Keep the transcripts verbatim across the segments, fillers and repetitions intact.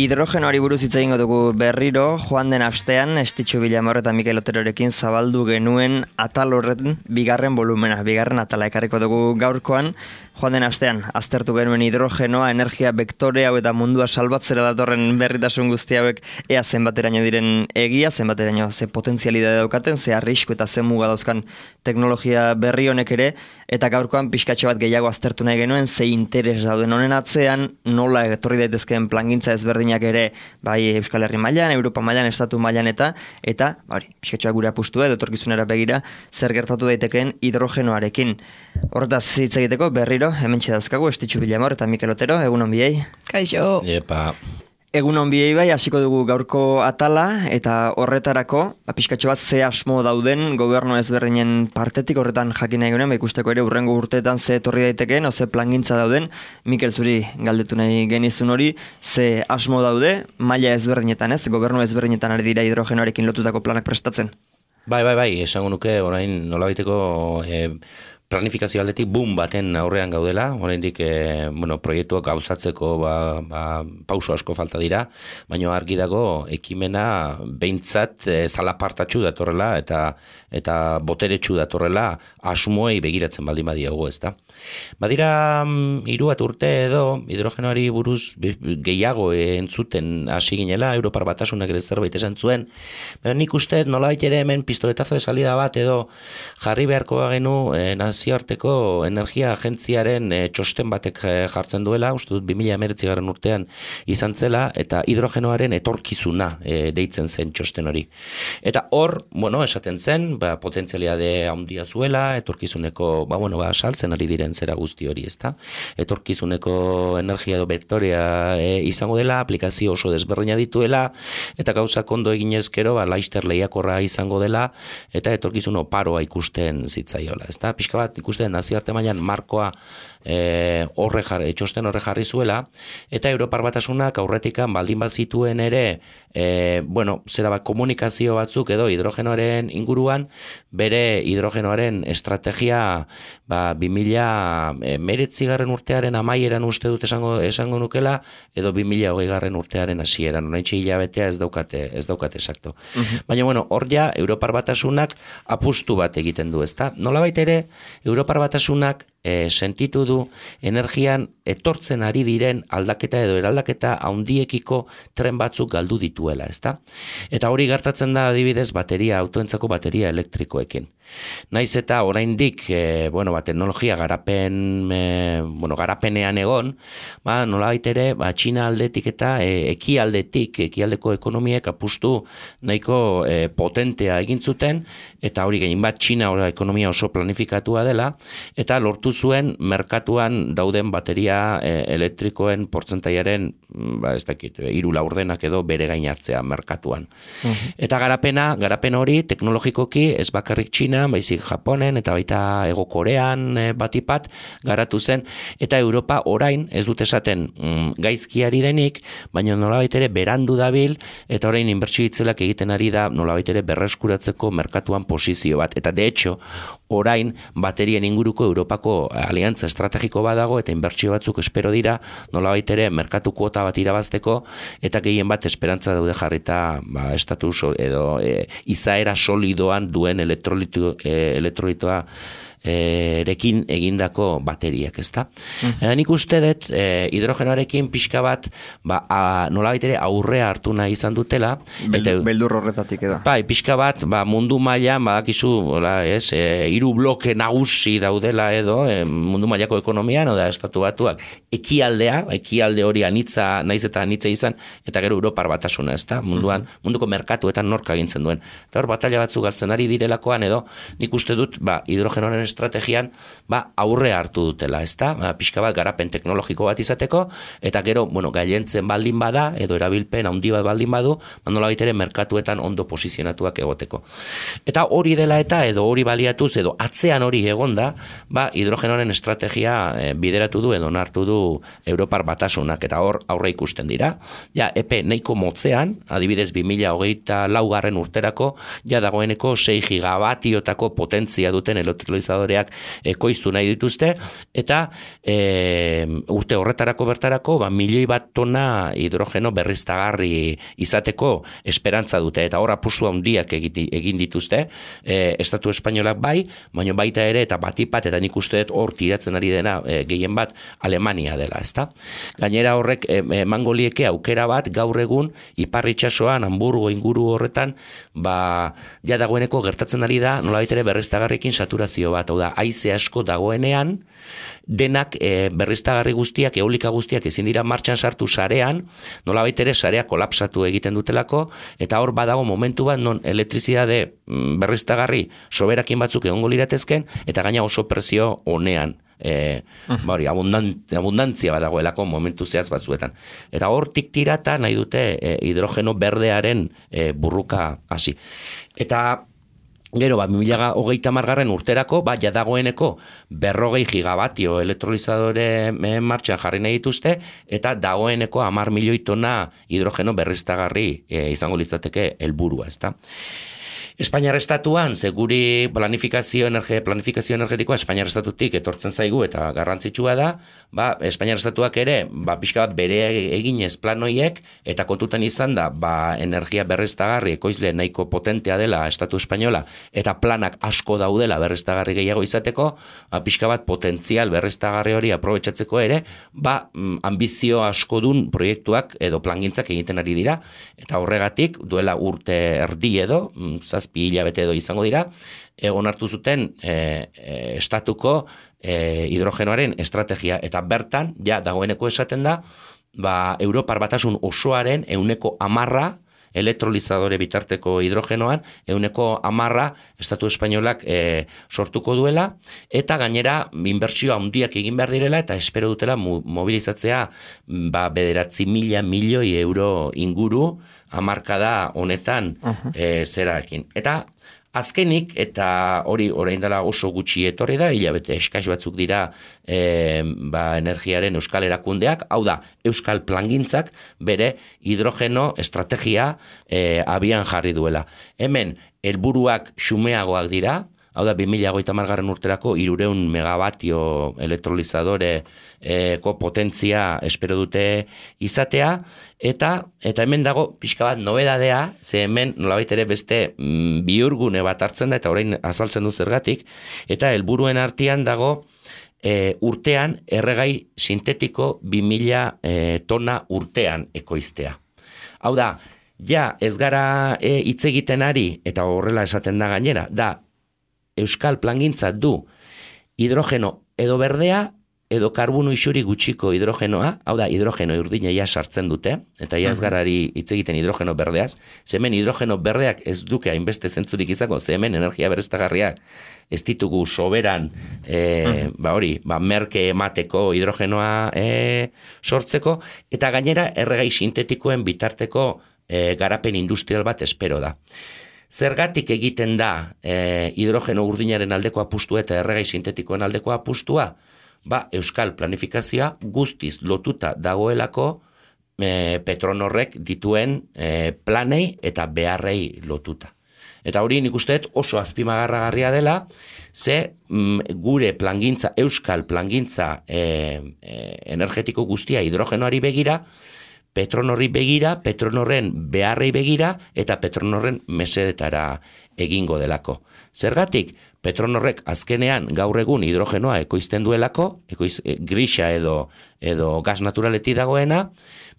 Hidrogenoari buruz hitz egingo dugu berriro, joan den astean Estitxu Vilamor eta Mikel Oterorekin zabaldu genuen atal horren bigarren volumena, bigarren atala ekarriko dugu gaurkoan. Joan den astean aztertu genuen hidrogenoa, energia bektore hau eta mundua salbatzera datorren berritasun guzti hauek ea zenbateraino diren egia, zenbateraino ze potentzialidade daukaten, ze arrisku eta ze muga dauzkan teknologia berri honek ere, eta gaurkoan pixkatxo bat gehiago aztertu nahi genuen, ze interes dauden honen atzean, nola etorri daitezkeen plangintza ezberdinak ere, bai Euskal Herri mailan, Europa mailan, Estatu mailan eta, eta, hori, pixkatxoa gure apustua edo etorkizunera begira, zer gertatu daitekeen hidrogenoarekin. Hortaz hitz egiteko berriro, hementxe dauzkagu, Estitxu Vilamor eta Mikel Otero, egun on biei. Kaixo. Epa. Egun on biei bai, hasiko dugu gaurko atala, eta horretarako, pixkatxo bat ze asmo dauden gobernu ezberdinen partetik, horretan jakin nahi genuen, ikusteko ere urrengo urteetan ze etorri daitekeen, o ze plangintza dauden. Mikel, zuri galdetu nahi genizun hori, ze asmo daude, maila ezberdinetan ez, gobernu ezberdinetan ari dira hidrogenoarekin lotutako planak prestatzen. Bai, bai, bai, esango nuke, orain nolabaiteko e, planifikazio aldetik boom baten aurrean gaudela, oraindik e, bueno, proiektuak gauzatzeko ba, ba, pauso asko falta dira, baina argi dago ekimena behintzat e, zalapartatxu datorrela eta eta boteretsu datorrela asmoei begiratzen baldin badiago, ezta. Badira hiru bat urte edo hidrogenoari buruz gehiago entzuten hasi ginela, Europar Batasunak ere zerbait esan zuen, baina nik uste nolabait ere hemen pistoletazo de salida bat edo jarri beharko bagenu e, nazioarteko energia agentziaren e, txosten batek e, jartzen duela, uste dut bi mila hemeretzi garren urtean izan zela, eta hidrogenoaren etorkizuna e, deitzen zen txosten hori. Eta hor, bueno, esaten zen, ba, potentzialidade handia zuela, etorkizuneko, ba, bueno, ba, saltzen ari diren zera guzti hori, ezta? Etorkizuneko energia edo bektorea e, izango dela, aplikazio oso desberdina dituela, eta gauzak ondo eginezkero, ba, laister lehiakorra izango dela, eta etorkizun oparoa ikusten zitzaiola, ezta? Pixka bat ikusten nazioarte mailan markoa e, horre jarri, txosten horre jarri zuela, eta Europar Batasunak aurretikan baldin bat zituen ere, e, bueno, zera bat komunikazio batzuk edo hidrogenoaren inguruan, bere hidrogenoaren estrategia ba, bi mila hemeretzi garren urtearen amaieran uste dut esango, esango nukela, edo bi mila hogei garren urtearen hasieran, oraintxe hilabetea ez daukate, ez daukate exacto. Uh-huh. Baina, bueno, hor ja, Europar Batasunak apustu bat egiten du, ezta? Nolabait ere, Europar Batasunak e, sentitu du energian etortzen ari diren aldaketa edo eraldaketa handiekiko tren batzuk galdu dituela, ezta? Eta hori gertatzen da adibidez bateria, autoentzako bateria elektrikoekin. Naiz eta oraindik e, bueno, ba, teknologia garapen, e, bueno, garapenean egon, ba, nolabait ere, ba, Txina aldetik eta e, ekialdetik, ekialdeko ekonomiek apustu nahiko e, potentea egin zuten, eta hori gehien bat Txina ora, ekonomia oso planifikatua dela, eta lortu zuen merkatuan dauden bateria e, elektrikoen portzentaiaren, ba, ez dakit, hiru laurdenak edo bere gain hartzea merkatuan. Uh-huh. Eta garapena, garapen hori teknologikoki ez bakarrik Txina, baizik Japonen eta baita Hego Korean e, batipat garatu zen, eta Europa orain ez dut esaten mm, gaizkiari denik, baina nolabait ere berandu dabil, eta orain inbertsio itzelak egiten ari da nolabait ere berreskuratzeko merkatuan posizio bat, eta de hecho orain baterien inguruko Europako aliantza estrategiko badago, eta inbertsio batzuk espero dira nolabait ere merkatu kuota bat irabazteko, eta gehien bat esperantza daude jarrita ba, estatus edo e, izaera solidoan duen elektrolitu E, elektrolitoa erekin egindako bateriak, ezta? Mm. Eta nik uste dut e, hidrogenoarekin pixka bat ba, nolabait ere aurrea hartu nahi izan dutela. Beldur, eta, beldur horretatik edo. Bai, pixka bat ba, mundu mailan badakizu, hola, ez, e, hiru bloke nagusi daudela edo e, mundu mailako ekonomian, oda Estatu Batuak ekialdea, ekialde hori anitza, naiz eta anitza izan, eta gero Europar Batasuna, ezta? Munduan, mm. munduko merkatuetan nork agintzen duen. Eta hor batalla batzuk galtzen ari direlakoan edo, nik uste dut, ba, hidrogenoaren estrategian ba, aurre hartu dutela, ezta? Ba, pixka bat garapen teknologiko bat izateko, eta gero, bueno, gailentzen baldin bada, edo erabilpen handi bat baldin badu, nolabait ere merkatuetan ondo posizionatuak egoteko. Eta hori dela eta, edo hori baliatuz, edo atzean hori egonda, ba, hidrogenoaren estrategia e, bideratu du, edo nartu du Europar Batasunak, eta hor aurre ikusten dira. Ja, epe nahiko motzean, adibidez bi mila hogeita lau garren urterako, ja dagoeneko sei gigabatiotako potentzia duten elektrolizadore elektrolizadoreak ekoiztu nahi dituzte, eta e, urte horretarako bertarako ba, milioi bat tona hidrogeno berriztagarri izateko esperantza dute, eta hor apustu handiak egin dituzte, e, Estatu Espainolak bai, baina baita ere, eta batipat, eta nik uste dut hor tiratzen ari dena e, gehien bat Alemania dela, ezta? Gainera horrek emango lieke aukera bat gaur egun ipar itsasoan, Hamburgo inguru horretan, ba, ja dagoeneko gertatzen ari da, nolabait ere berriztagarriekin saturazio bat, hau da, haize asko dagoenean, denak e, berriztagarri guztiak, eolika guztiak ezin dira martxan sartu sarean, nolabait ere sarea kolapsatu egiten dutelako, eta hor badago momentu bat non elektrizidade berriztagarri soberakin batzuk egongo liratezken, eta gaina oso presio honean. E, bari, abundantzia badagoelako momentu zehaz batzuetan. Eta hortik tirata nahi dute e, hidrogeno berdearen e, burruka hasi. Eta gero, ba, bi mila hogeita hamargarren urterako, ba, jadagoeneko berrogei gigabatio elektrolizadore martxan jarri nahi dituzte, eta dagoeneko hamar milioi tona hidrogeno berriztagarri e, izango litzateke helburua, ezta? Espainiar estatuan, seguri planifikazio, energe, planifikazio energetikoa Espainiar estatutik etortzen zaigu eta garrantzitsua da, ba, Espainiar estatuak ere, ba, pixka bat bere eginez planoiek, eta kontutan izan da, ba, energia berriztagarri ekoizle nahiko potentea dela Estatu Espainola, eta planak asko daudela berriztagarri gehiago izateko, ba, pixka bat potentzial berriztagarri hori aprobetxatzeko ere, ba, ambizio askodun proiektuak edo plangintzak egiten ari dira, eta horregatik, duela urte erdi edo, zazpi hilabete edo izango dira, egon hartu zuten e, e, estatuko e, hidrogenoaren estrategia, eta bertan, ja, dagoeneko esaten da, ba, Europar Batasun osoaren euneko amarra, elektrolizadore bitarteko hidrogenoan, euneko amarra Estatu Espainolak e, sortuko duela, eta gainera inbertsio handiak egin behar direla, eta espero dutela mobilizatzea ba, bederatzi mila milioi euro inguru, hamarkada honetan uh-huh. e, zerakin. Eta azkenik, eta hori orain dela oso gutxi etorri da, hilabete eskaz batzuk dira e, ba, energiaren euskal erakundeak, hau da, euskal plangintzak bere hidrogeno estrategia e, abian jarri duela. Hemen, helburuak xumeagoak dira, hau da, bi mila hogeita hamargarren urterako hirurehun megabatio elektrolizadoreko potentzia espero dute izatea, eta eta hemen dago pixka bat nobedadea, ze hemen nolabait ere beste mm, bihurgune bat hartzen da, eta orain azaltzen du zergatik, eta helburuen artean dago e, urtean erregai sintetiko bi mila e, tona urtean ekoiztea. Hau da, ja ez gara e, hitz egiten ari, eta horrela esaten da gainera, da euskal plangintza du hidrogeno edo berdea edo karbono isuri gutxiko hidrogenoa, hau da hidrogeno urdina ja sartzen dute, eta ja ez garari hitz egiten hidrogeno berdeaz, zemen hidrogeno berdeak ez duke hainbeste zentzurik izako, zemen energia berriztagarriak ez ditugu soberan e, ba hori, ba merke emateko hidrogenoa e, sortzeko, eta gainera erregai sintetikoen bitarteko e, garapen industrial bat espero da. Zergatik egiten da e, hidrogeno urdinaren aldeko apustua eta erregai sintetikoen aldeko apustua? Ba, euskal planifikazioa guztiz lotuta dagoelako e, Petronorrek dituen e, planei eta beharrei lotuta. Eta hori nik uste oso azpimagarragarria dela, ze mm, gure plangintza, euskal plangintza e, e, energetiko guztia hidrogenoari begira, Petronorri begira, Petronorren beharrei begira, eta Petronorren mesedetara egingo delako. Zergatik, Petronorrek azkenean gaur egun hidrogenoa ekoizten duelako, ekoiz, e, grisa edo, edo gas naturaleti dagoena,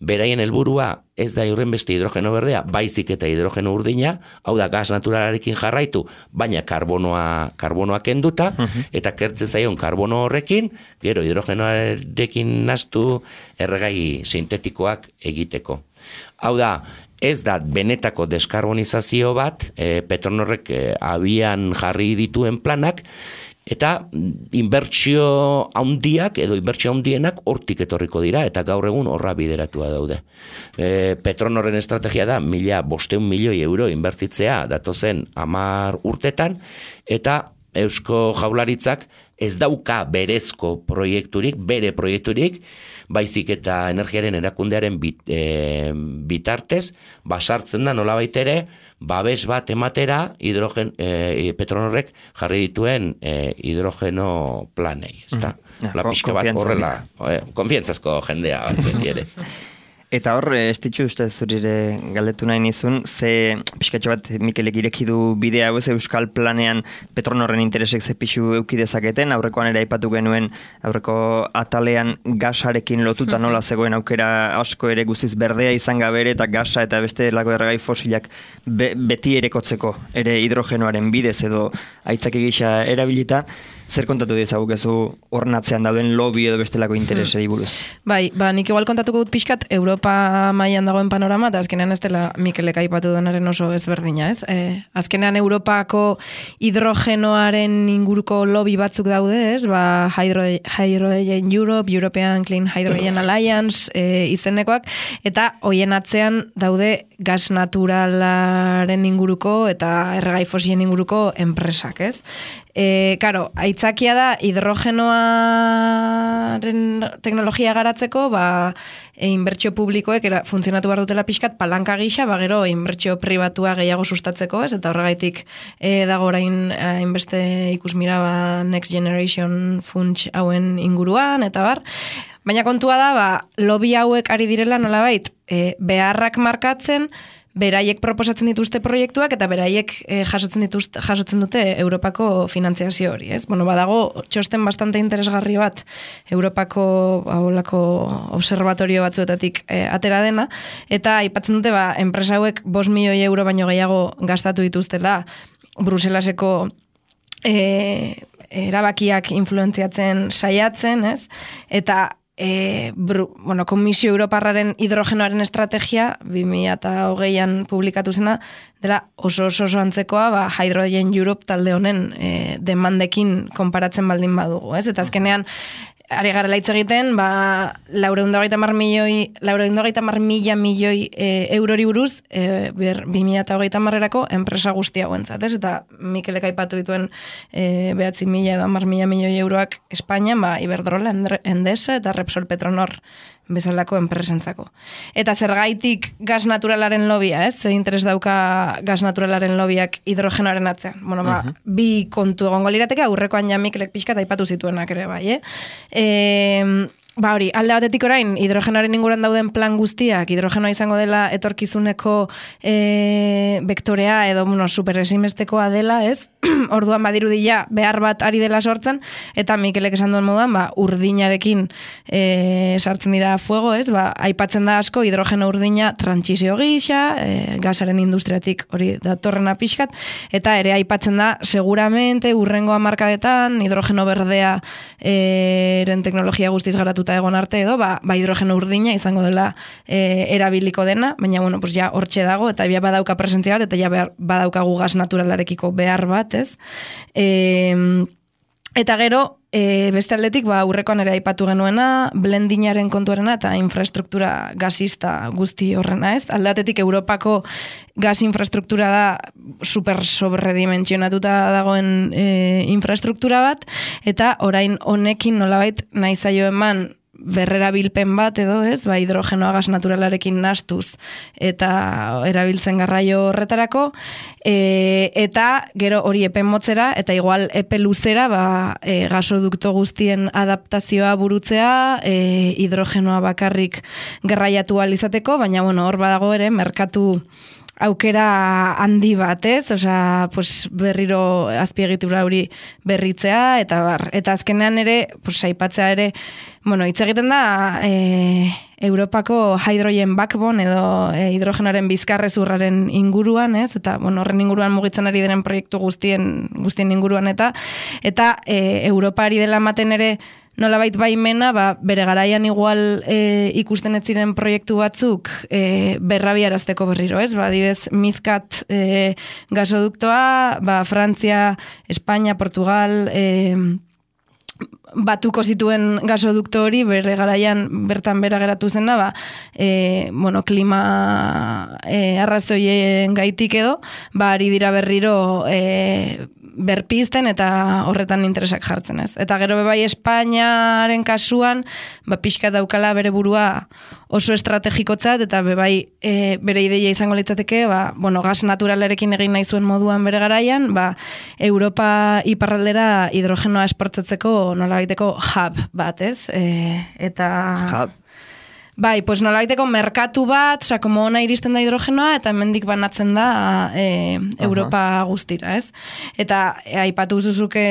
beraien helburua ez da horren beste hidrogeno berdea, baizik eta hidrogeno urdina, hau da gas naturalarekin jarraitu, baina karbonoa, karbonoa kenduta, uh-huh. eta kertzen zaion karbono horrekin, gero hidrogenoarekin nastu erregai sintetikoak egiteko. Hau da, ez da benetako deskarbonizazio bat, e, Petronorrek e, abian jarri dituen planak, eta inbertsio handiak edo inbertsio handienak hortik etorriko dira, eta gaur egun horra bideratua daude. E, Petronorren estrategia da, mila bosteun milioi euro inbertitzea datozen hamar urtetan, eta Eusko Jaurlaritzak ez dauka berezko proiekturik, bere proiekturik, baizik eta energiaren erakundearen bit, e, bitartez, basartzen da nolabait ere, babes bat ematera hidrogen, e, Petronorrek jarri dituen e, hidrogeno planei, ezta? Mm. La pixka bat horrela, e, konfiantzazko jendea beti ere. Eta hor, ez ditzu uste zurire galdetu nahi nizun, ze pixkatxo bat Mikelek ireki du bidea hau ez Euskal Planean Petronorren interesek ze pixu eukidezaketen, aurrekoan ere aipatu genuen aurreko atalean gasarekin lotuta nola zegoen aukera asko ere guztiz berdea izan gabe ere eta gasa eta beste lako erregai fosilak be, beti erekotzeko ere hidrogenoaren bidez edo aitzaki gisa erabilita. Zer kontatu dezagukezu hornatzean dauden lobby edo bestelako interesei buruz? Bai, ba, nik igual kontatuko dut pixkat Europa mailan dagoen panorama, eta azkenean ez dela Mikelek aipatu duenaren oso ezberdina, ez? E, azkenean Europako hidrogenoaren inguruko lobby batzuk daude, ez? Ba, Hydro, Hydrogen Europe, European Clean Hydrogen Alliance e, izenekoak, eta hoien atzean daude gas naturalaren inguruko eta erregai fosilen inguruko enpresak, ez? E, karo, aitzakia da hidrogenoaren teknologia garatzeko, ba, e, inbertsio publikoek era, funtzionatu behar dutela pixkat palanka gisa, ba, gero inbertsio pribatua gehiago sustatzeko, ez? Eta horregaitik e, dago orain hainbeste ikusmira ba, Next Generation funts hauen inguruan, eta bar. Baina kontua da, ba, lobby hauek ari direla nolabait, e, beharrak markatzen, beraiek proposatzen dituzte proiektuak eta beraiek eh, jasotzen dituzte, jasotzen dute Europako finantziazio hori, ez? Bueno, badago txosten bastante interesgarri bat Europako aholako observatorio batzuetatik eh, atera dena, eta aipatzen dute ba, enpresa hauek bost milioi euro baino gehiago gastatu dituztela Bruselaseko eh, erabakiak influentziatzen saiatzen, ez? Eta E, bru, bueno, Komisio Europarraren hidrogenoaren estrategia bi mila hogeian publikatu zena dela oso oso oso antzekoa ba, Hydrogen Europe talde honen e, demandekin konparatzen baldin badugu, ez? Eta azkenean ari gara laitz egiten, ba, laureunda hogeita mar milioi, laureunda hogeita mar mila milioi e, eurori buruz, e, bi mila hogeita marrerako enpresa guztia guentzat, ez? Eta Mikelek aipatu dituen e, behatzi mila edo mar mila milioi euroak Espainian, ba, Iberdrola, Endesa eta Repsol Petronor bezalako enpresentzako. Eta zergaitik gas naturalaren lobia, ez? Zer interes dauka gas naturalaren lobiak hidrogenoaren atzean. Bueno, ba, uh-huh. bi kontu egongo lirateke, aurrekoan ja Mikelek pixka eta aipatu zituenak ere, bai, eh? E, ba hori, alde batetik orain, hidrogenoaren inguruan dauden plan guztiak, hidrogenoa izango dela etorkizuneko e, vektorea edo, bueno, superesimestekoa dela, ez? Orduan badirudi ja behar bat ari dela sortzen, eta Mikelek esan duen moduan, ba, urdinarekin e, sartzen dira fuego, ez? Ba, aipatzen da asko hidrogeno urdina trantsizio gisa, e, gasaren industriatik hori datorrena pixkat, eta ere aipatzen da seguramente urrengo hamarkadetan hidrogeno berdea e, eren teknologia guztiz garatuta egon arte edo, ba, ba hidrogeno urdina izango dela e, erabiliko dena, baina bueno, pues ja hortxe dago, eta ja badauka presentzia bat, eta ja behar, badaukagu gas naturalarekiko behar bat, ez? E, eta gero, e, beste aldetik, ba, aurrekoan ere aipatu genuena, blendinaren kontuarena eta infrastruktura gasista guzti horrena, ez? Aldatetik Europako gas infrastruktura da super sobredimensionatuta dagoen e, infrastruktura bat, eta orain honekin nolabait nahi zaio eman berrera bilpen bat edo, ez? Ba, hidrogenoa gas naturalarekin nastuz eta erabiltzen garraio horretarako, e, eta gero hori epe motzera eta igual epe luzera ba, e, gasodukto guztien adaptazioa burutzea, e, hidrogenoa bakarrik garraiatu ahal izateko, baina bueno, hor badago ere merkatu aukera handi bat, ez? Osea, pues berriro azpiegitura hori berritzea eta bar. Eta azkenean ere, pues aipatzea ere, bueno, hitz egiten da e, Europako hydrogen backbone edo e, hidrogenoaren bizkarrezurraren inguruan, ez? Eta bueno, horren inguruan mugitzen ari diren proiektu guztien guztien inguruan eta eta e, Europa ari dela ematen ere nolabait baimena, ba, bere garaian igual e, ikusten ez ziren proiektu batzuk e, berrabiarazteko berriro, ez? Ba, adibez, Mizkat e, gasoduktoa, ba, Frantzia, Espainia, Portugal, e, batuko zituen gasodukto hori, bere garaian bertan bera geratu zena, ba, e, bueno, klima e, arrazoien gaitik edo, ba, ari dira berriro e, berpizten eta horretan interesak jartzen, ez? Eta gero bebai Espainiaren kasuan, ba, pixka daukala bere burua oso estrategikotzat, eta bebai e, bere ideia izango litzateke, ba, bueno, gas naturalarekin egin nahi zuen moduan bere garaian, ba, Europa iparraldera hidrogenoa esportatzeko nolabaiteko hub bat, ez? E, eta... Hub. Bai, pues nolabaiteko merkatu bat, oza, como ona iristen da hidrogenoa, eta hemendik banatzen da e, Europa guztira, ez? Eta e, aipatu zuzuke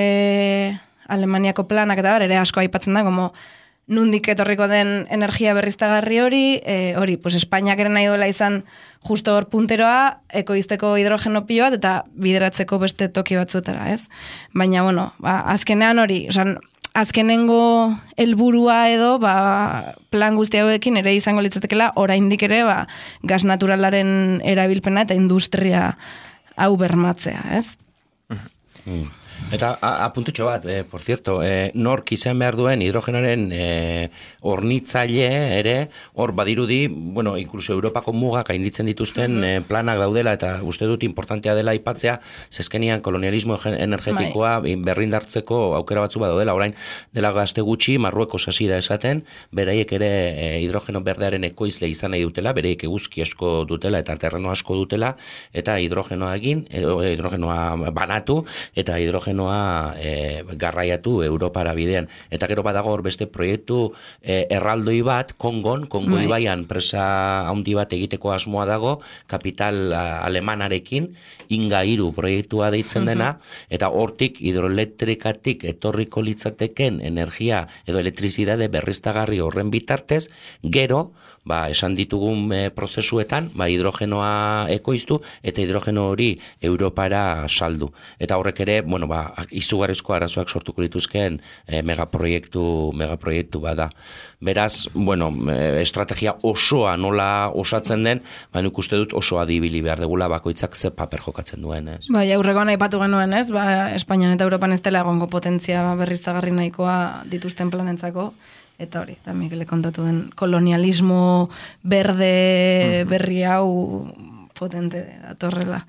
Alemaniako planak eta bar, ere asko aipatzen da, como nundik etorriko den energia berriztagarri hori, e, hori, pues Espainiak ere nahi duela izan justo hor punteroa, ekoizteko hidrogeno pilo bat, eta bideratzeko beste toki batzuetara, ez? Baina, bueno, ba, azkenean hori, oza, azkenengo helburua edo ba, plan guzti hauekin ere izango litzatekela oraindik ere ba, gas naturalaren erabilpena eta industria hau bermatzea, ez? Mm. Eta apuntutxo bat, eh, por cierto, eh, nork izan behar duen hidrogenaren eh, hornitzaile ere, hor badirudi, bueno, inkluso Europako mugak gainditzen dituzten eh, planak daudela, eta uste dut importantea dela aipatzea, zezkenian kolonialismo energetikoa berrindartzeko aukera batzu badaudela, orain dela gazte gutxi, Marruekos hasi da esaten, beraiek ere eh, hidrogeno berdearen ekoizle izan nahi dutela, beraiek eguzki asko dutela eta terreno asko dutela, eta hidrogenoa egin, hidrogenoa banatu, eta hidrogenoa E, garraiatu Europara bidean. Eta gero badago hor beste proiektu e, erraldoi bat, Kongon, Kongo Bai. ibaian presa handi bat egiteko asmoa dago, kapital a, alemanarekin, Inga hiru proiektua deitzen dena, eta hortik hidroelektrikatik etorriko litzateken energia edo elektrizidade berriztagarri horren bitartez, gero, ba, esan ditugun e, prozesuetan, ba, hidrogenoa ekoiztu, eta hidrogeno hori Europara saldu. Eta horrek ere, bueno, ba, izugarrizko arazoak sortuko dituzken e, megaproiektu, megaproiektu bada. Beraz, bueno, e, estrategia osoa nola osatzen den, ba, nik uste dut oso adibili behar degula bakoitzak ze paper jokatzen duen, ez? Bai, aurrekoan aipatu genuen, ez? Ba, Espainian eta Europan ez dela egongo potentzia berriztagarri nahikoa dituzten planentzako. Eta hori, eta Mikele kontatu den kolonialismo berde berri hau potente datorrela.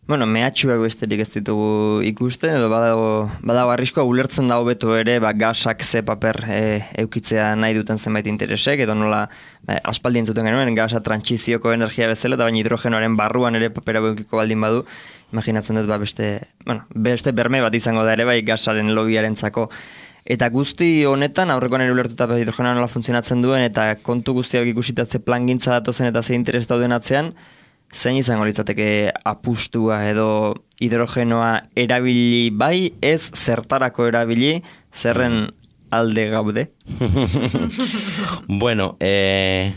Bueno, mehatxuak besterik ez ditugu ikusten, edo badago, badago arriskoa ulertzen da hobeto ere, ba, gasak ze paper e, eukitzea nahi duten zenbait interesek, edo nola ba, aspaldi entzuten genuen, gasa trantsizioko energia bezala, eta baina hidrogenoaren barruan ere papera eukiko baldin badu, imaginatzen dut ba, beste, bueno, beste berme bat izango da ere, bai gasaren lobiarentzako. Eta guzti honetan, aurrekoan ere ulertuta hidrogenoa nola funtzionatzen duen, eta kontu guztiak ikusitatze plangintza datozen eta ze interes dauden atzean, zein izango litzateke apustua edo hidrogenoa erabili bai, ez zertarako erabili, zerren alde gaude? Bueno, eh,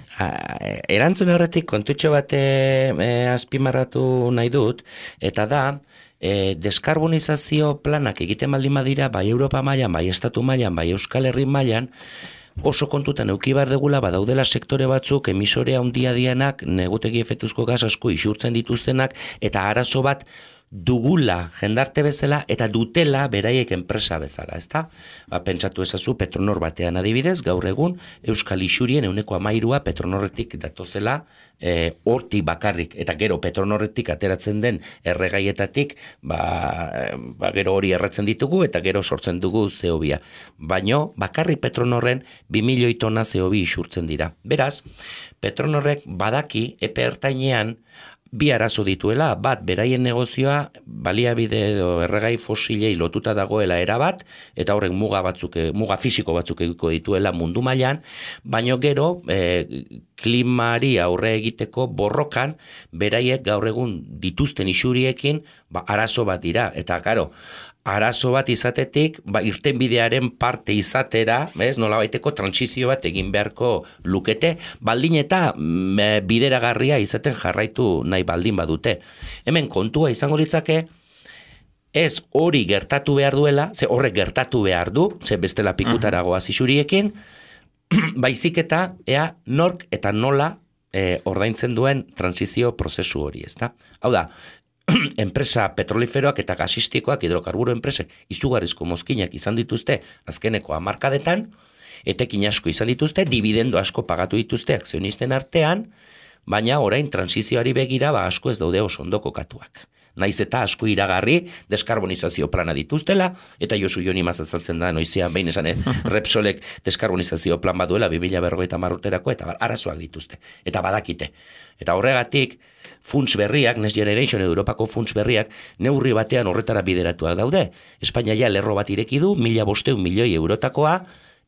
erantzun horretik kontutxo bat eh, azpimarratu nahi dut, eta da, E, deskarbonizazio planak egiten baldin badira, bai Europa mailan, bai Estatu mailan, bai Euskal Herri mailan, oso kontutan euki behar degula badaudela sektore batzuk emisorea handia dianak, negutegi efektuzko gas asko isurtzen dituztenak, eta arazo bat dugula jendarte bezala eta dutela beraiek enpresa bezala, ezta? Ba, pentsatu ezazu Petronor batean adibidez, gaur egun Euskal Isurien ehuneko hamairua Petronorretik datozela e, hortik bakarrik, eta gero Petronorretik ateratzen den erregaietatik, ba, ba gero hori erratzen ditugu eta gero sortzen dugu C O bia. Baino bakarrik Petronorren bi milioi tona C O bi isurtzen dira. Beraz, Petronorrek badaki epe ertainean bi arazo dituela, bat, beraien negozioa baliabide edo erregai fosilei lotuta dagoela erabat, eta horrek muga batzuk, muga fisiko batzuk egiko dituela mundu mailan, baino gero, e, klimari aurre egiteko borrokan, beraiek gaur egun dituzten isuriekin, ba, arazo bat dira, eta karo, arazo bat izatetik, ba, irtenbidearen parte izatera, bez, nolabaiteko trantsizio bat egin beharko lukete, baldin eta mm, bideragarria izaten jarraitu nahi baldin badute. Hemen kontua izango litzake, ez hori gertatu behar duela, ze horrek gertatu behar du, ze bestela pikutaragoa zizuriekin, baizik eta ea nork eta nola e, ordaintzen duen trantsizio prozesu hori, ezta? Hau da, enpresa petroliferoak eta gasistikoak hidrokarburo enpresek izugarrizko mozkinak izan dituzte azkeneko hamarkadetan, etekin asko izan dituzte, dividendo asko pagatu dituzte akzionisten artean, baina orain transizioari begira ba asko ez daude oso ondo kokatuak. naiz eta asko iragarri deskarbonizazio plana dituztela, eta Josu Joni mazazaltzen da, noizean behin esan, Repsolek deskarbonizazio plan baduela, bi mila berrogeita hamar urterako, eta arazoak dituzte, eta badakite. Eta horregatik, funts berriak, Next Generation edo Europako funts berriak, neurri batean horretara bideratuak daude. Espainia ja lerro bat ireki du, mila bosteun milioi eurotakoa,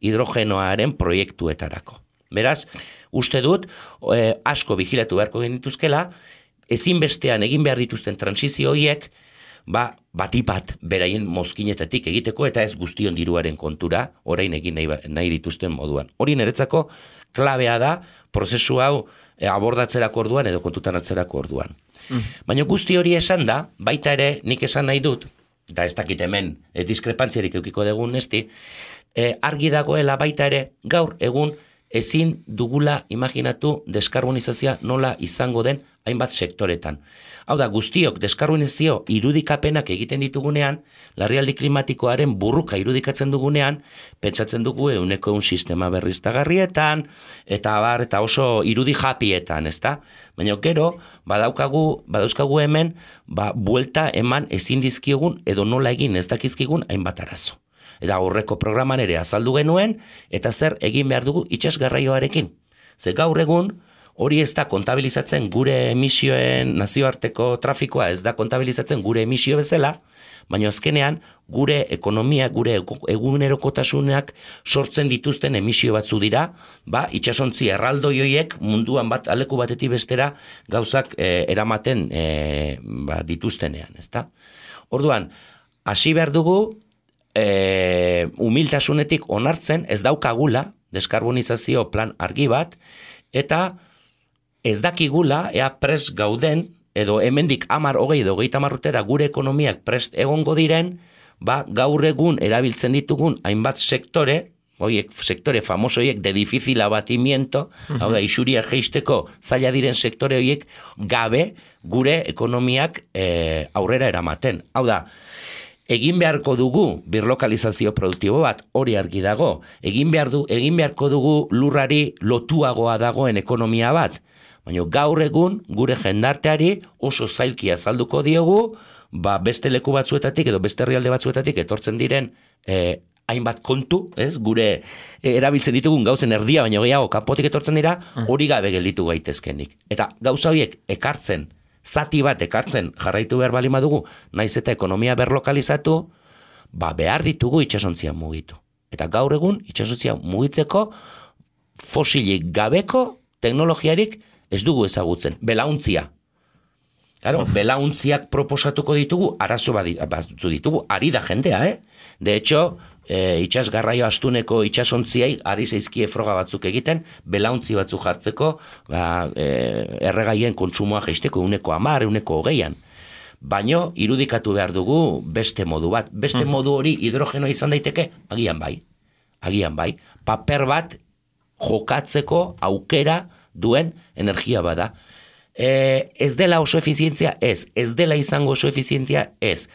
hidrogenoaren proiektuetarako. Beraz, uste dut, eh, asko vigilatu beharko genituzkela, ezinbestean egin behar dituzten transizio horiek, ba, batipat beraien mozkinetatik egiteko, eta ez guztion diruaren kontura, orain egin nahi, nahi dituzten moduan. Hori niretzako klabea da, prozesu hau e, abordatzerako orduan edo kontutan atzerako orduan. Mm. Baina guzti hori esan da, baita ere nik esan nahi dut, eta ez dakit hemen e, diskrepantziarik eukiko dugun nesti, e, argi dagoela baita ere gaur egun ezin dugula imaginatu deskarbonizazioa nola izango den hainbat sektoretan. Hau da, guztiok deskarbonizazio irudikapenak egiten ditugunean, larrialdi klimatikoaren burruka irudikatzen dugunean, pentsatzen dugu euneko eun sistema berriztagarrietan, eta abar, eta oso irudi japietan, ezta? Baina gero, badaukagu, badauzkagu hemen, ba, buelta eman ezin dizkiogun, edo nola egin ez dakizkigun hainbat arazo. Eta horreko programan ere azaldu genuen, eta zer egin behar dugu itsasgarraioarekin. Ze gaur egun, hori ez da kontabilizatzen gure emisioen nazioarteko trafikoa, ez da kontabilizatzen gure emisio bezala, baina azkenean gure ekonomia, gure egunerokotasunak sortzen dituzten emisio batzu dira, ba, itsasontzi erraldoi horiek munduan bat aleku batetik bestera gauzak e, eramaten e, ba, dituztenean, ezta? Orduan, hasi behar dugu, e, humiltasunetik onartzen ez daukagula deskarbonizazio plan argi bat, eta ez dakigula, ea prest gauden, edo hemendik hamar hogei edo hogeita hamar urtera gure ekonomiak prest egongo diren, ba, gaur egun erabiltzen ditugun hainbat sektore, oiek, sektore famoso horiek de difícil abatimiento, uh-huh. hau da, isuria jeisteko zaila diren sektore horiek gabe gure ekonomiak e, aurrera eramaten. Hau da, egin beharko dugu birlokalizazio produktibo bat, hori argi dago, egin, behar du, egin beharko dugu lurrari lotuagoa dagoen ekonomia bat, baina gaur egun gure jendarteari oso zailki azalduko diogu, ba beste leku batzuetatik edo beste herrialde batzuetatik etortzen diren eh, hainbat kontu, ez? Gure eh, erabiltzen ditugun gauzen erdia, baina gehiago kanpotik etortzen dira, hori gabe gelditu gaitezkenik. Eta gauza horiek ekartzen, zati bat ekartzen jarraitu behar bali madugu, naiz eta ekonomia berlokalizatu, ba behar ditugu itsasontzia mugitu. Eta gaur egun itsasontzia mugitzeko fosilik gabeko teknologiarik ez dugu ezagutzen, belauntzia. Claro, belauntziak proposatuko ditugu, arazo batzu ditugu, ari da jendea, eh? De hecho, e, itxas garraio astuneko itxasontziai ari zaizkie froga batzuk egiten, belauntzi batzuk jartzeko, ba, e, erregaien kontsumoa jaisteko uneko amar, uneko hogeian. Baino, irudikatu behar dugu beste modu bat. Beste modu hori hidrogenoa izan daiteke, agian bai. Agian bai. Paper bat jokatzeko aukera duen energia bada. E, ez dela oso efizientzia, ez. Ez dela izango oso efizientzia, ez.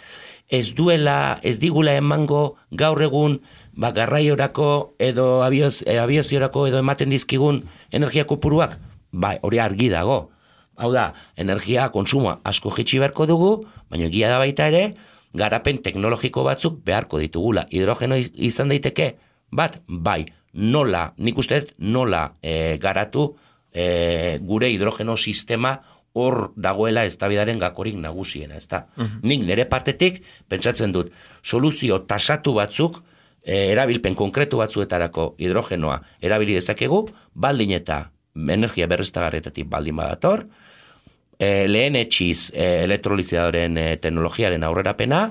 Ez duela, ez digula emango gaur egun ba, garraiorako edo abioz, e, abioziorako edo ematen dizkigun energia kopuruak, bai, hori argi dago. Hau da, energia konsumoa asko jitsi beharko dugu, baina egia da baita ere, garapen teknologiko batzuk beharko ditugula. Hidrogeno izan daiteke, bat, bai, nola, nik uste nola e, garatu E, gure hidrogeno sistema hor dagoela eztabaidaren gakorik nagusiena, ezta? Uh-huh. Nik nire partetik pentsatzen dut soluzio tasatu batzuk e, erabilpen konkretu batzuetarako hidrogenoa erabili dezakegu, baldin eta energia berriztagarrietatik baldin badator, e, lehen etxiz e, elektrolizadoren e, teknologiaren aurrerapena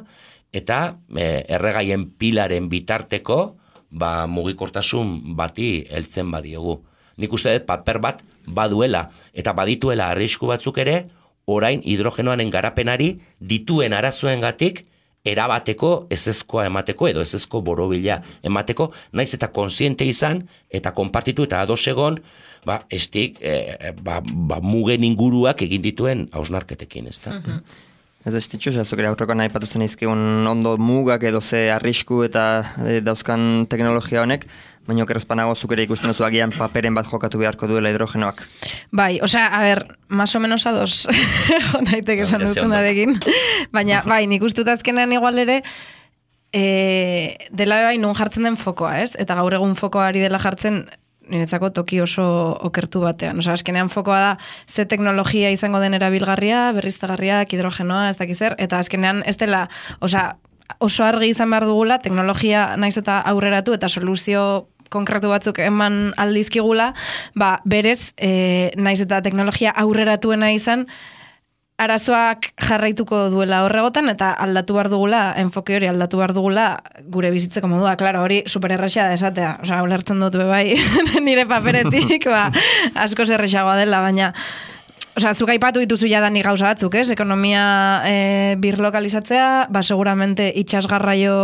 eta e, erregaien pilaren bitarteko ba, mugikortasun bati heltzen badiogu. Nik uste dut paper bat baduela eta badituela arrisku batzuk ere, orain hidrogenoaren garapenari dituen arazoengatik erabateko ezezkoa emateko edo ezezko borobila emateko, naiz eta kontziente izan eta konpartitu eta ados egon, ba, estik, e, ba, ba, mugen inguruak egin dituen hausnarketekin, ezta? Uh-huh. Ez estitxu, zazuk ere aurrekoan nahi patu zen izkigun ondo mugak edo ze arrisku eta e, dauzkan teknologia honek, baina okerrezpanago zuk ere ikusten duzu agian paperen bat jokatu beharko duela hidrogenoak. Bai, osea, a ber, más o menos ados naitek esan duzunarekin, baina bai, nik ustut azkenean igual ere, e, dela bai nun jartzen den fokoa, ez? Eta gaur egun fokoa ari dela jartzen, niretzako toki oso okertu batean. Osa, azkenean fokoa da ze teknologia izango den erabilgarria, berriztagarriak, hidrogenoa, ez dakiz zer, eta azkenean ez dela, osa, oso argi izan behar dugula, teknologia naiz eta aurreratu eta soluzio konkretu batzuk eman aldizkigula, ba, berez, e, naiz eta teknologia aurreratuena izan, arazoak jarraituko duela horregotan eta aldatu behar dugula, enfoke hori aldatu behar dugula gure bizitzeko modua. Klaro, hori supererraxa da esatea. Osa, ulertzen dut bai nire paperetik, ba, asko zerrexagoa dela, baina Osa, zuk aipatu dituzu jadani gauza batzuk, ez? Ekonomia e, birlokalizatzea, ba, seguramente itxasgarraio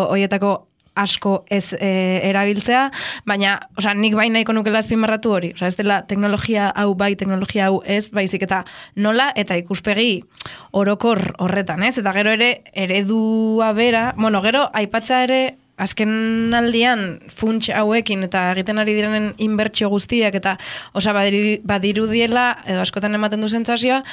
hoietako asko ez e, erabiltzea, baina, osa, nik bai nahiko nukela azpimarratu hori. Osa, ez dela teknologia hau bai, teknologia hau ez, baizik eta nola eta ikuspegi orokor horretan, ez? Eta gero ere, eredua bera, bueno, gero, aipatza ere, azken aldian funts hauekin eta egiten ari direnen inbertsio guztiak eta osa badirudiela edo askotan ematen du sentsazioa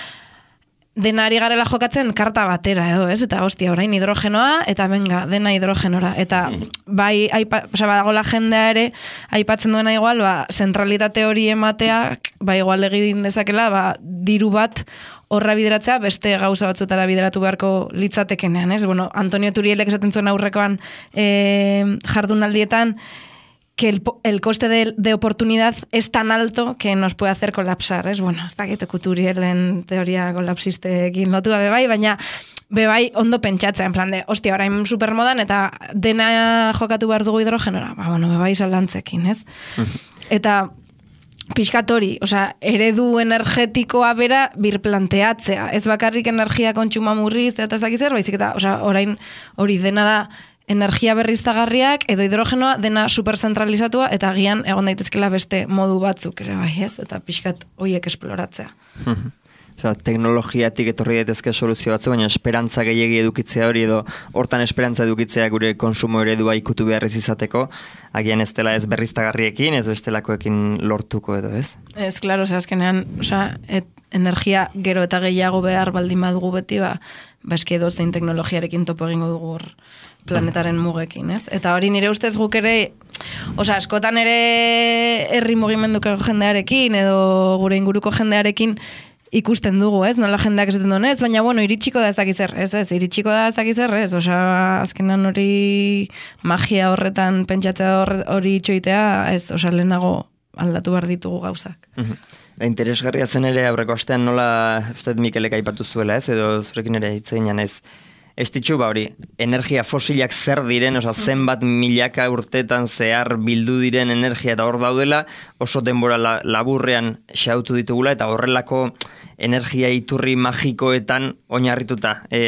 dena ari garela jokatzen karta batera edo, ez? Eta hostia, orain hidrogenoa eta benga, dena hidrogenora. Eta bai, aipa, osa, badagola jendea ere aipatzen duena igual, ba, zentralitate hori emateak, ba, igual egin dezakela, ba, diru bat horra bideratzea, beste gauza batzutara bideratu beharko litzatekenean, ez? Bueno, Antonio Turielek esaten zuen aurrekoan e, jardunaldietan, que el, el coste de, de oportunidad es tan alto que nos puede hacer colapsar, es bueno, ez dakit Turielen teoria kolapsistekin lotu gabe bai, baina bebai ondo pentsatzea, en plan de, hostia, orain supermodan eta dena jokatu behar dugu hidrogenora, ba, bueno, bebai salantzekin, ez? Eta pixkatori, osea, eredu energetikoa bera birplanteatzea, ez bakarrik energia kontsuma murriz, eta ez dakiz zer, baizik eta, osea, orain hori dena da energia berriztagarriak edo hidrogenoa dena superzentralizatua eta agian egon daitezkela beste modu batzuk ere bai, ez? Eta pixkat hoiek esploratzea. Osea, teknologiatik etorri daitezke soluzio batzu, baina esperantza gehiegi edukitzea hori edo hortan esperantza edukitzea gure konsumo eredua ikutu behar ez izateko, agian ez dela ez berriztagarriekin, ez bestelakoekin lortuko edo, ez? Ez, klaro, osea, azkenean, osea, et, energia gero eta gehiago behar baldin badugu beti, ba, ba eski edo zein teknologiarekin topo egingo dugu hor planetaren mugekin, ez? Eta hori nire ustez guk ere, osea, askotan ere herri mugimenduko jendearekin edo gure inguruko jendearekin ikusten dugu, ez? Nola jendeak esaten duen, ez? Baina, bueno, iritsiko da ez dakizer, ez? Ez, iritsiko da ez dakizer, ez? Osea, azkenan hori magia horretan pentsatzea hori itxoitea, ez? Osea, lehenago aldatu behar ditugu gauzak. Da, interesgarria zen ere aurreko astean nola, uste Mikelek aipatu zuela, ez? Edo zurekin ere hitz egin ez? Estitxu, ba hori, energia fosilak zer diren, oza, zenbat milaka urtetan zehar bildu diren energia eta hor daudela, oso denbora la, laburrean xautu ditugula, eta horrelako energia iturri magikoetan oinarrituta e,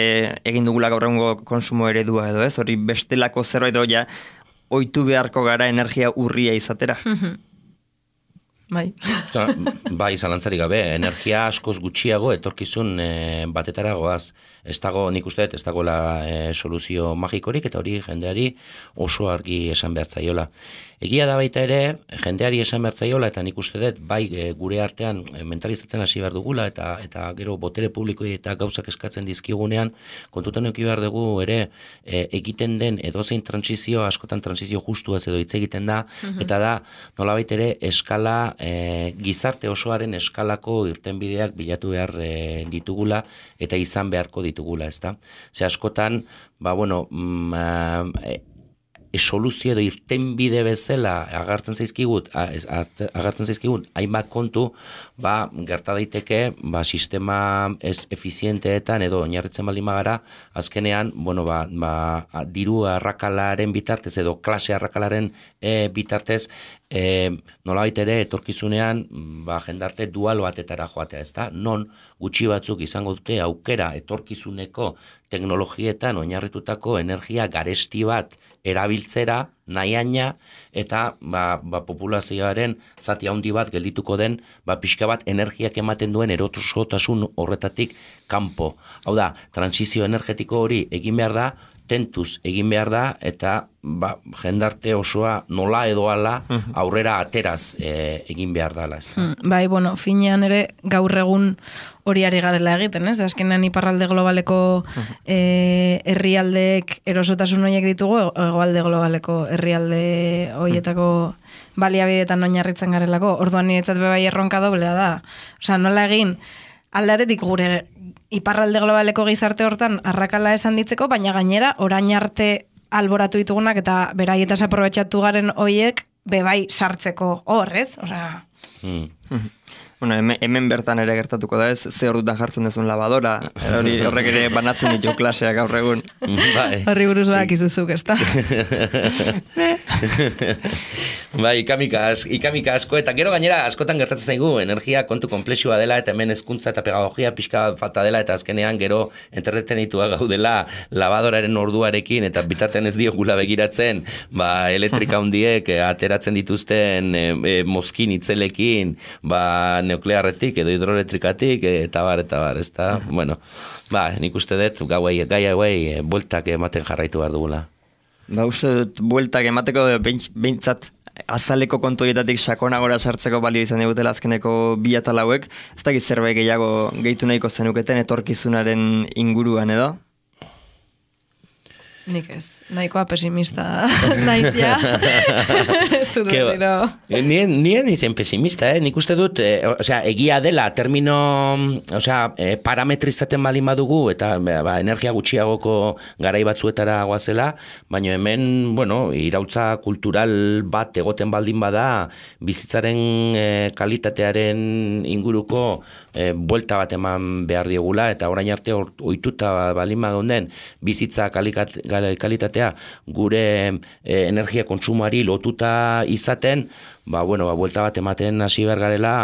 egin dugula gaur egungo konsumo eredua edo, ez? Hori bestelako zerbait ja ohitu beharko gara energia urria izatera. Bai. Bai, zalantzarik gabe, energia askoz gutxiago etorkizun e, batetara goaz. Ez dago, nik uste, ez dagoela e, soluzio magikorik, eta hori jendeari oso argi esan behar zaiola. Egia da baita ere, jendeari esan behar zaiola, eta nik uste dut, bai e, gure artean e, mentalizatzen hasi behar dugula, eta eta gero botere publikoi eta gauzak eskatzen dizkigunean, kontutan euki behar dugu ere, e, egiten den edozein transizio, askotan transizio justuaz edo hitz egiten da, mm-hmm. eta da, nolabait ere, eskala, e, gizarte osoaren eskalako irtenbideak bilatu behar e, ditugula, eta izan beharko ditugula, ezta? Ze askotan, ba, bueno, mm, e, e, soluzio edo irtenbide bezala agartzen zaizkigut, agartzen zaizkigun, hainbat kontu, ba, gerta daiteke, ba, sistema ez efizienteetan edo oinarritzen baldin bagara, azkenean, bueno, ba, ba, diru arrakalaren bitartez edo klase arrakalaren e, bitartez, e, nolabait ere etorkizunean ba, jendarte dual batetara joatea, ez da? Non gutxi batzuk izango dute aukera etorkizuneko teknologietan oinarritutako energia garesti bat erabiltzera, nahiaina, eta ba, ba, populazioaren zati handi bat geldituko den, ba, pixka bat energiak ematen duen erosotasun horretatik kanpo. Hau da, transizio energetiko hori egin behar da, tentuz egin behar da, eta ba, jendarte osoa nola edo ala aurrera ateraz e, egin behar dala. Ez da? Bai, bueno, finean ere gaur egun hori ari garela egiten, ez? Azkenean iparralde globaleko e, herrialdeek erosotasun horiek ditugu, hegoalde globaleko herrialde horietako baliabideetan oinarritzen garelako. Orduan niretzat bebai erronka doblea da. Osea, nola egin aldatetik gure iparralde globaleko gizarte hortan arrakala esan ditzeko, baina gainera orain arte alboratu ditugunak eta beraietaz aprobetxatu garen hoiek bebai sartzeko hor, ez? Osea... Mm. Bueno, hemen, hemen bertan ere gertatuko da ez, ze ordutan jartzen duzun lavadora, hori horrek ere banatzen ditu klaseak gaur egun. Horri buruz bak izuzuk, ez da? Bai, ikamika, ikamika asko, eta gero gainera askotan gertatzen zaigu, energia kontu komplexua dela, eta hemen hezkuntza eta pedagogia pixka falta dela, eta azkenean gero entretenitua gaudela lavadoraren orduarekin, eta bitaten ez diogula begiratzen, ba, elektrika hundiek ateratzen dituzten e, e, mozkin itzelekin, ba, nuklearretik edo hidroelektrikatik eta bar, eta bar, ez da? Uh-huh. Bueno, ba, nik uste dut, gauei, gai hauei, bueltak ematen jarraitu behar dugula. Ba, uste dut, bueltak emateko behintzat azaleko kontuietatik sakonagora sartzeko balio izan digutela azkeneko bi atal hauek, ez dakit zerbait gehiago gehitu nahiko zenuketen etorkizunaren inguruan edo? Nik ez, nahikoa pesimista naizia. Ez dut dira. Nien, nien izen pesimista, eh? Nik uste dut, eh, osea, egia dela, termino, osea, eh, parametrizaten balin badugu, eta ba, energia gutxiagoko garai batzuetara goazela, baina hemen, bueno, irautza kultural bat egoten baldin bada, bizitzaren eh, kalitatearen inguruko eh, buelta bat eman behar diogula, eta orain arte ohituta balin badunden, bizitza kalikat, kalitatea gure e, energia kontsumoari lotuta izaten, ba, bueno, ba, buelta bat ematen hasi behar garela,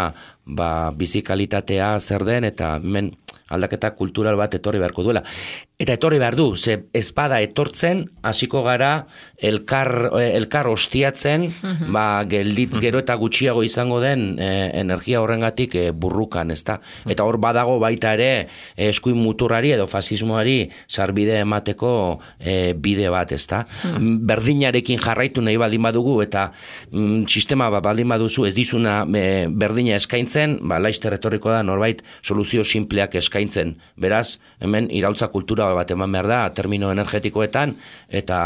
ba, bizi kalitatea zer den, eta hemen aldaketa kultural bat etorri beharko duela. Eta etorri behar du, ze espada etortzen, hasiko gara elkar, elkar ostiatzen, uh-huh. ba, gelditz gero eta gutxiago izango den e, energia horrengatik e, burrukan, ezta? Eta hor badago baita ere e, eskuin muturrari edo fasismoari sarbide emateko e, bide bat, ezta? Uh-huh. Berdinarekin jarraitu nahi baldin badugu eta mm, sistema bat baldin baduzu ez dizuna e, berdina eskaintzen, ba, laister etorriko da norbait soluzio simpleak eskaintzen. Beraz, hemen iraultza kultura bat eman behar da, termino energetikoetan, eta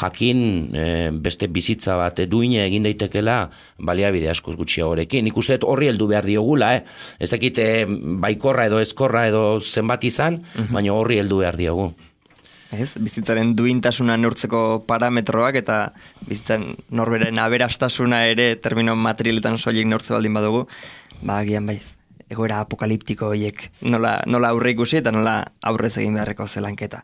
jakin e, beste bizitza bat duine egin daitekela baliabide askoz gutxiagorekin. Nik uste horri heldu behar diogula, eh? Ez dakit e, baikorra edo ezkorra edo zenbat izan, uh-huh. baina horri heldu behar diogu. Ez, bizitzaren duintasuna neurtzeko parametroak eta bizitzaren norberen aberastasuna ere termino materialetan soilik neurtze baldin badugu, ba, agian bai. Egoera apokaliptiko horiek nola, nola aurre ikusi eta nola aurrez egin beharreko zelanketa.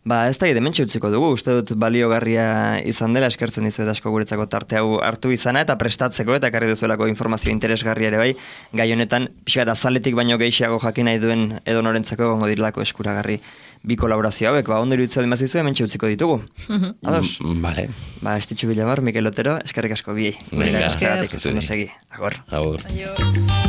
Ba, ez da dementxe utziko dugu, uste dut baliogarria izan dela, eskertzen dizuet asko guretzako tarte hau hartu izana eta prestatzeko eta ekarri duzuelako informazio interesgarria ere bai, gai honetan, pixka eta zaletik baino gehiago jakin nahi duen edo norentzako gongo direlako eskuragarri bi kolaborazio hauek, ba, ondo iruditzea dimazu hementxe utziko ditugu. Ados? Vale. Ba, Estitxu Villamor, Mikel Otero, eskerrik asko biei. Venga, eskerrik asko segi. Agor. Agor. Aio.